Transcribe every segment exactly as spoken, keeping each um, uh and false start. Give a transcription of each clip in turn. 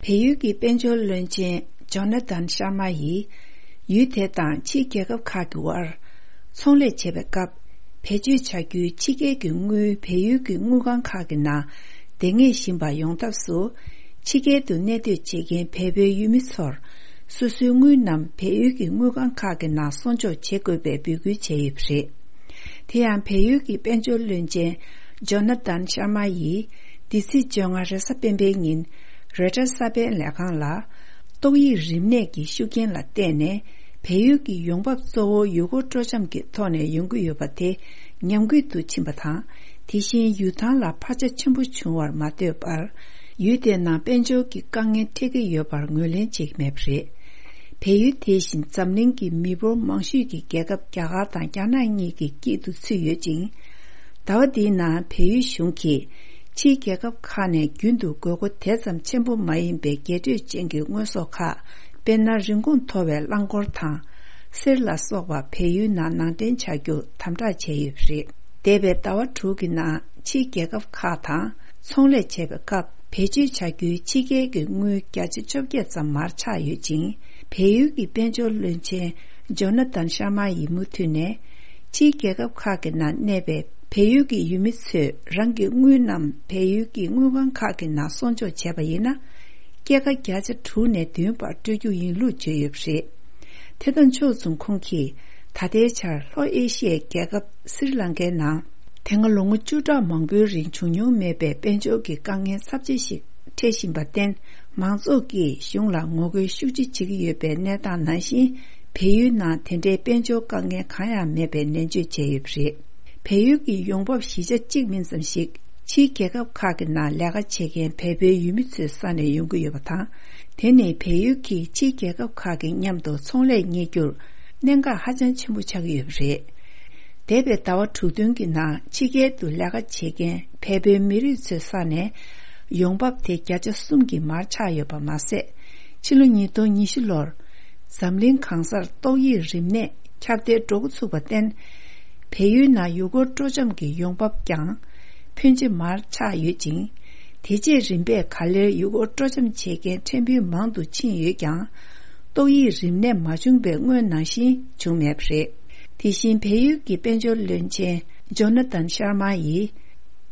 བལ་ཡུལ་གྱི་དཔལ་འབྱོར་བློན་ཆེན་ཇོ་ན་ཐན་ཤར་མ་ཡིས། ཡུལ་དེ་དང་ཕྱིའི་རྒྱལ་ཁབ་ཁག་གི་དབར་ཚོང་ལས་བྱེད་པའི་སྐབས། བེད་སྤྱོད་བྱ་རྒྱུའི་ཕྱི་རྒྱལ་གྱི་དངུལ་བལ་ཡུལ་གྱི་དངུལ་ཁང་ཁག་གི་ནང་བསྡད་ངེས་བཞིན་པ་ཡོང་ཐབས་སུ། ཕྱི་རྒྱལ་དུ་གནས་སྡོད་བྱེད་མཁན་བལ་པོའི་ཡུལ་མི་ཚོར། སོ་སོའི་དངུལ་རྣམས་བལ་ཡུལ་གྱི་དངུལ་ཁང་ཁག་གི་ནང་སྲུང་སྐྱོབ་བྱེད་དགོས་པའི་འབོད་སྐུལ་བྱས་ཡོད་པ་རེད། དེ་ཡང་བལ་ཡུལ་གྱི་དཔལ་འབྱོར་བློན་ཆེན་ཇོ་ན་ཐན་ཤར་མ་ཡིས། འདི་ཚེས་བཅོ་ལྔ་རེས་གཟའ་སྤེན་པའི་ཉིན། རོའི་ཊར་གསར་སྤེལ་ལས་ཁང་ལ། ཏོག་དབྱིབས་རིམས་ནད་ཀྱི་ཤུགས་རྐྱེན་ལ་བརྟེན་ནས། བལ་ཡུལ་གྱི་ཡོང་འབབ་གཙོ་བོ་ཡུལ་སྐོར་སྤྲོ་འཆམ་གྱི་ཐོག་ནས་ཡོང་གི་ཡོད་པ་དེ། ཉམས་རྒུད་དུ་ཕྱིན་པ་དང་། དེ་བཞིན་ཡུལ་ཐང་ལ་འཕར་ཆ་ཆེན་པོ་བྱུང་བར་མ་ལྟོས་པར། ཡུལ་དེའི་ནང་དཔལ་འབྱོར་གྱི་དཀའ་ངལ་འཕྲད་ཀྱི་ཡོད་པར་ངོས་ལེན་བྱེད་ཀྱི་མེད་པ་རེད། བལ་ཡུལ་དེ་བཞིན་འཛམ་གླིང་གི་མི་འབོར་མང་ཤོས་ཀྱི་རྒྱལ་ཁབ་རྒྱ་གར་དང་རྒྱ་ནག་གཉིས་ཀྱི་དཀྱིལ་དུ་ཚུད་ཡོད་ཅིང་། ཟླ་བ་འདིའི་ནང་བལ་ཡུལ་གཞུང་གིས་ཕྱིའི་རྒྱལ་ཁབ་ཁག་ནས་རྒྱུན་དུ་དགོས་མཁོ་དེ་ཙམ་ཆེན་པོ་མ་ཡིན་པའི་རྒྱས་སྤྲོས་ཅན་གྱི་དངོས་ཟོག་ཁག་དཔེར་ན། རིན་གོང་མཐོ་བའི་རླངས་འཁོར་དང་། གསེར་ལ་སོགས་པ་བལ་ཡུལ་ནང་ནང་འདྲེན་བྱ་རྒྱུར་དམ་དྲག་བྱས་ཡོད་པ་རེད། འདས་པའི་ཟླ་བ་དྲུག་གི་ནང་ཕྱིའི་རྒྱལ་ཁབ་ཁག་དང་ཚོང་ལས་བྱེད་པའི་སྐབས། བེད་སྤྱོད་བྱ་རྒྱུའི་ཕྱི་རྒྱལ་གྱི་དངུལ་བརྒྱ་ཆ་བཅོ་བརྒྱད་ཙམ་མར་ཆག་ཡོད་ཅིང་། བལ་ཡུལ་གྱི་དཔལ་འབྱོར་བློན་ཆེན་ཇོ་ན་ཐན་ཤར་མ་ཡིས་མུ་མཐུད་ནས། ཕྱིའི་རྒྱལ་ཁབ་ཁག་གི་ནང་གནས་པའི་བལ་ཡུལ་གྱི་ཡུལ་མི་ཚོས་རང་གི་དངུལ་རྣམས་བལ་ཡུལ་གྱི་དངུལ་ཁང་ཁག་གི་ནང་སྲུང་སྐྱོབ་བྱས་པ་ཡིན་ན། སྐྱེད་ཀ་བརྒྱ་ཆ་དྲུག་ནས་བདུན་བར་སྤྲོད་རྒྱུ་ཡིན་ལུགས་བརྗོད་ཡོད་པ་རེད། དེ་དང་ཕྱོགས་མཚུངས་ཁོང་གིས། ད་ལྟའི་ཆར་ལྷོ་ཨེ་ཤི་ཡའི་རྒྱལ་ཁབ་སི་རི་ལང་ཀའི་ནང་། དེ་སྔ་ལོ་ངོ་བཅུ་ཕྲག་མང་པོའི་རིང་བྱུང་མྱོང་མེད་པའི་དཔལ་འབྱོར་གྱི་དཀའ་ངལ་ཚབས་ཆེ་ཞིག་འཕྲད་བཞིན་པར་བརྟེན། མང་ཚོགས་ཀྱིས་གཞུང་ལ་ངོ་རྒོལ་ཤུགས་ཆེ་བྱེད་ཀྱི་ཡོད་པའི་གནས་སྟངས་ནང་བཞིན། བལ་ཡུལ་ནང་དེ་འདྲའི་དཔལ་འབྱོར་དཀའ་ངལ་གང་ཡང་མེད་པའི་ནན་བརྗོད་བྱས་ཡོད་པ་རེད། བལ་ཡུལ་གྱི་ཡོང་འབབ་བཞི་ཆ་གཅིག་མིན་ཙམ་ཞིག་ཕྱིའི་རྒྱལ་ཁབ་ཁག་གི་ནང་ལས་ཀ་བྱེད་མཁན་བལ་པོའི་ཡུལ་མི་ཚོའི་ས་ནས་ཡོང་གི་ཡོད་པ་དང་། དེ་ནི་བལ་ཡུལ་གྱིས་ཕྱིའི་རྒྱལ་ཁབ་ཁག་གི་མཉམ་དུ་ཚོང་ལས་གཉེར་རྒྱུར་གནད་འགག་ཧ་ཅང་ཆེན་པོ་ཆགས་ཀྱི་ཡོད་པ་རེད། འདས་པའི་ཟླ་བ་དྲུག་བདུན་གྱི་ནང་ཕྱི་རྒྱལ་དུ་ལས་ཀ་བྱེད་མཁན་བལ་པོའི་མི་རིགས་ཚོའི་ས་ནས་ཡོང་འབབ་དེ་བརྒྱ་ཆ་གསུམ་གྱིས་མར་ཆག་ཡོད་པ་མ་ཟད། ཕྱི་ལོ་ཉིས་སྟོང་ཉི་ཤུ་ལོར་འཛམ་གླིང་གང་སར་ཏོག་དབྱིབས་རིམས་ནད་ཁྱབ་གདལ་འགྲོ་འགོ་ཚུགས་པར་བརྟེན། བལ་ཡུལ་ནང་ཡུལ་སྐོར་སྤྲོ་འཆམ་གྱི་ཡོང་འབབ་ཀྱང་ཕོན་ཆེ་མར་ཆག་ཡོད་ཅིང་། དེ་རྗེས་རིམ་པས་ག་ལེར་ཡུལ་སྐོར་སྤྲོ་འཆམ་བྱེད་མཁན་ཕྲན་བུ་མང་དུ་ཕྱིན་ཡོད་ཀྱང་། ཏོག་དབྱིབས་རིམས་ནད་མ་བྱུང་བའི་སྔོན་ནང་བཞིན་བྱུང་མེད་པ་རེད། དེ་བཞིན་བལ་ཡུལ་གྱི་དཔལ་འབྱོར་བློན་ཆེན་ཇོ་ན་ཐན་ཤར་མ་ཡིས།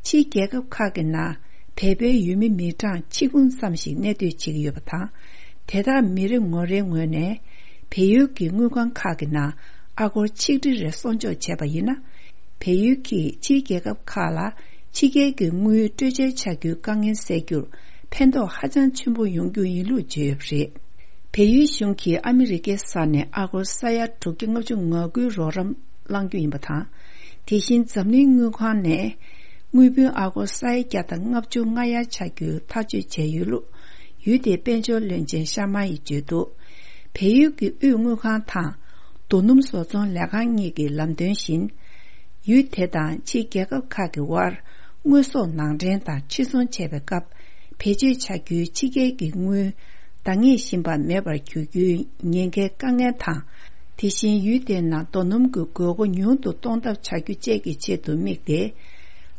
ཕྱིའི་རྒྱལ་ཁབ་ཁག་གི་ནང་བལ་པོའི་ཡུལ་མི་མི་གྲངས་ཆིག་འབུམ་ཙམ་ཞིག་གནས་སྡོད་བྱེད་ཀྱི་ཡོད་པ་དང་། དེ་དག་མི་རེ་ངོ་རེའི་ངོས་ནས་བལ་ཡུལ་གྱི་དངུལ་ཁང་ཁག་གི་ནང་ཨ་སྒོར་ཆིག་ཁྲི་རེ་སྲུང་སྐྱོབ་བྱས་པ་ཡིན་ན། བལ་ཡུལ་གྱིས་ཕྱིའི་རྒྱལ་ཁབ་ཁག་ལ་ཕྱི་རྒྱལ་གྱི་དངུལ་སྤྲོད་འཇལ་བྱ་རྒྱུའི་དཀའ་ངལ་སེལ་རྒྱུར་ཕན་ཐོགས་ཧ་ཅང་ཆེན་པོ་ཡོང་རྒྱུ་ཡིན་ལུགས་བརྗོད་ཡོད་པ་རེད། བལ་ཡུལ་གཞུང་གིས་ཨ་མི་རི་ཀའི་ས་ནས་ཨ་སྒོར་ས་ཡ་དྲུག་བརྒྱ་ལྔ་བཅུ་ང་དགུའི་རོགས་རམ་བླང་རྒྱུ་ཡིན་པ་དང་། དེ་བཞིན་འཛམ་གླིང་དངུལ་ཁང་ནས་དངུལ་བུན་ཨ་སྒོར་ས་ཡ་བརྒྱ་དང་ལྔ་བཅུ་ང་ལྔ་ཆགས་རྒྱུའི་ཐག་གཅོད་བྱས་ཡོད་ལུགས་ཡུལ་དེའི་དཔལ་འབྱོར་བློན་ཆེན་ཤར་མ་ཡིས་བརྗོད་འདུག་བལ་ཡུལ་གྱི་དབུས་དངུལ་ཁང་དང་རྡོ་སྣུམ་བཟོ་ཚོང་ལས་ཁང་གཉིས་ཀྱི་ལམ་སྟོན་བཞིན། ཡུལ་དེ་དང་ཕྱིའི་རྒྱལ་ཁབ་ཁག་གི་དབར་དངོས་ཟོག་ནང་འདྲེན་དང་ཕྱིར་ཚོང་བྱས་པའི་སྐབས། བེད་སྤྱོད་བྱ་རྒྱུའི་ཕྱི་རྒྱལ་གྱི་དངུལ་འདང་ངེས་བཞིན་པ་མེད་པར་གྱུར་རྒྱུའི་ཉེན་ཁའི་དཀའ་ངལ་དང་། དེ་བཞིན་ཡུལ་དེའི་ནང་རྡོ་སྣུམ་གྱི་དགོས་མཁོ་ཉུང་དུ་གཏོང་ཐབས་བྱ་རྒྱུ་བཅས་ཀྱི་ཆེད་དུ་དམིགས་ཏེ།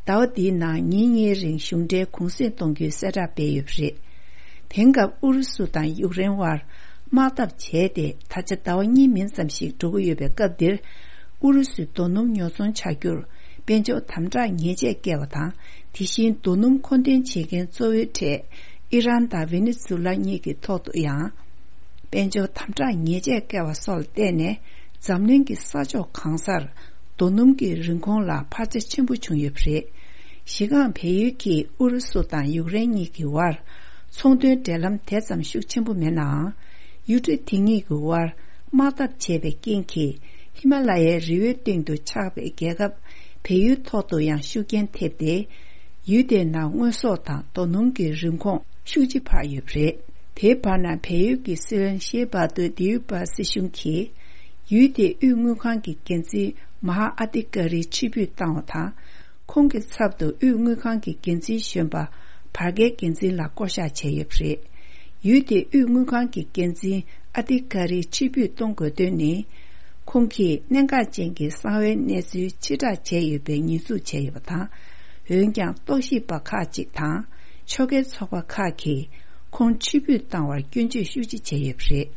ཟླ་བ་འདིའི་ནང་ཉིན་གཉིས་རིང་གཞུང་འབྲེལ་གུང་གསེང་གཏོང་རྒྱུའི་གསལ་བསྒྲགས་སྤེལ་ཡོད་པ་རེད། དེང་སྐབས་ཨུ་རུ་སུ་དང་ཡུཀ་རེན་དབར་དམག་འཐབ་བྱས་ཏེ་ད་ཆ་ཟླ་བ་གཉིས་མིན་ཙམ་ཞིག་འགྲོ་གི་ཡོད་པའི་སྐབས་འདིར། ཨུ་རུ་སུས་རྡོ་སྣུམ་ཉོ་ཚོང་བྱ་རྒྱུར་དཔལ་འབྱོར་དམ་དྲག་ཉེས་ཆད་བཀལ་བ་དང་། དེ་བཞིན་རྡོ་སྣུམ་མཁོ་འདོན་བྱེད་མཁན་གཙོ་བོའི་གྲས་ཨི་རན་དང་ཝེ་ནེ་ཛུ་ལ་གཉིས་ཀྱི་ཐོག་ཏུ་ཡང་དཔལ་འབྱོར་དམ་དྲག་ཉེས་ཆད་བཀལ་བ་སོགས་ལ་བརྟེན་ནས། འཛམ་གླིང་གི་ས་ཕྱོགས་གང་སར་རྡོ་སྣུམ་གྱི་རིན་གོང་ལ་འཕར་ཆ་ཆེན་པོ་བྱུང་ཡོད་པ་རེད། གཞི་རྐང་བལ་ཡུལ་གྱིས་ཨུ་རུ་སུ་དང་ཡུཀ་རེན་གཉིས་ཀྱི་དབར་ཚོང་དོན་འབྲེལ་ལམ་དེ་ཙམ་ཤུགས་ཆེན་པོ་མེད་ནའང་། ཡུལ་གྲུ་དེ་གཉིས་ཀྱི་དབར་དམག་འཐབ་བྱས་པའི་རྐྱེན་གྱིས། ཧི་མ་ལ་ཡའི་རི་བོའི་སྟེང་དུ་ཆགས་པའི་རྒྱལ་ཁབ་བལ་ཡུལ་ཐོག་ཏུ་ཡང་ཤུགས་རྐྱེན་ཐེབས་ཏེ། ཡུལ་དེའི་ནང་དངོས་ཟོག་དང་རྡོ་སྣུམ་གྱི་རིན་གོང་ཤུགས་ཆེ་འཕར་ཡོད་པ་རེད། དེའི་བར་ན་བལ་ཡུལ་གྱི་སྲིད་བློན་ཤེ་བྷ་དོ་དི་ཡུ་པ་སྲིད་གཞུང་གིས། ཡུལ་དེའི་དབུས་དངུལ་ཁང་གི་འགན་འཛིན་མ་ཧ་ཨ་ཏི་ཀ་རི་ཕྱིར་འབུད་བཏང་བ་དང་། ཁོང་གི་ཚབ་ཏུ་དབུས་དངུལ་ཁང་གི་འགན་འཛིན་གཞོན་པ་བར་བརྒལ་འགན་འཛིན་ལ་བསྐོ་གཞག་བྱས་ཡོད་པ་རེད། ཡུལ་དེའི་དབུས་དངུལ་ཁང་གི་འགན་འཛིན་ཨ་ཏི་ཀ་རི་ཕྱིར་འབུད་གཏོང་དགོས་དོན་ནི། ཁོང་གིས་གནད་འགག་ཅན་གྱི་གསང་བའི་གནས་ཚུལ་ཕྱིར་བསྒྲགས་བྱས་ཡོད་པའི་ཉེས་འཛུགས་བྱས་ཡོད་པ་དང་། འོན་ཀྱང་རྟོག་ཞིབ་པ་ཁག་ཅིག་དང་ཕྱོགས་འགལ་ཚོགས་པ་ཁག་གིས། ཁོང་ཕྱིར་འབུད་བཏང་བར་སྐྱོན་བརྗོད་ཤུགས་ཆེ་བྱས་ཡོད་པ་རེད།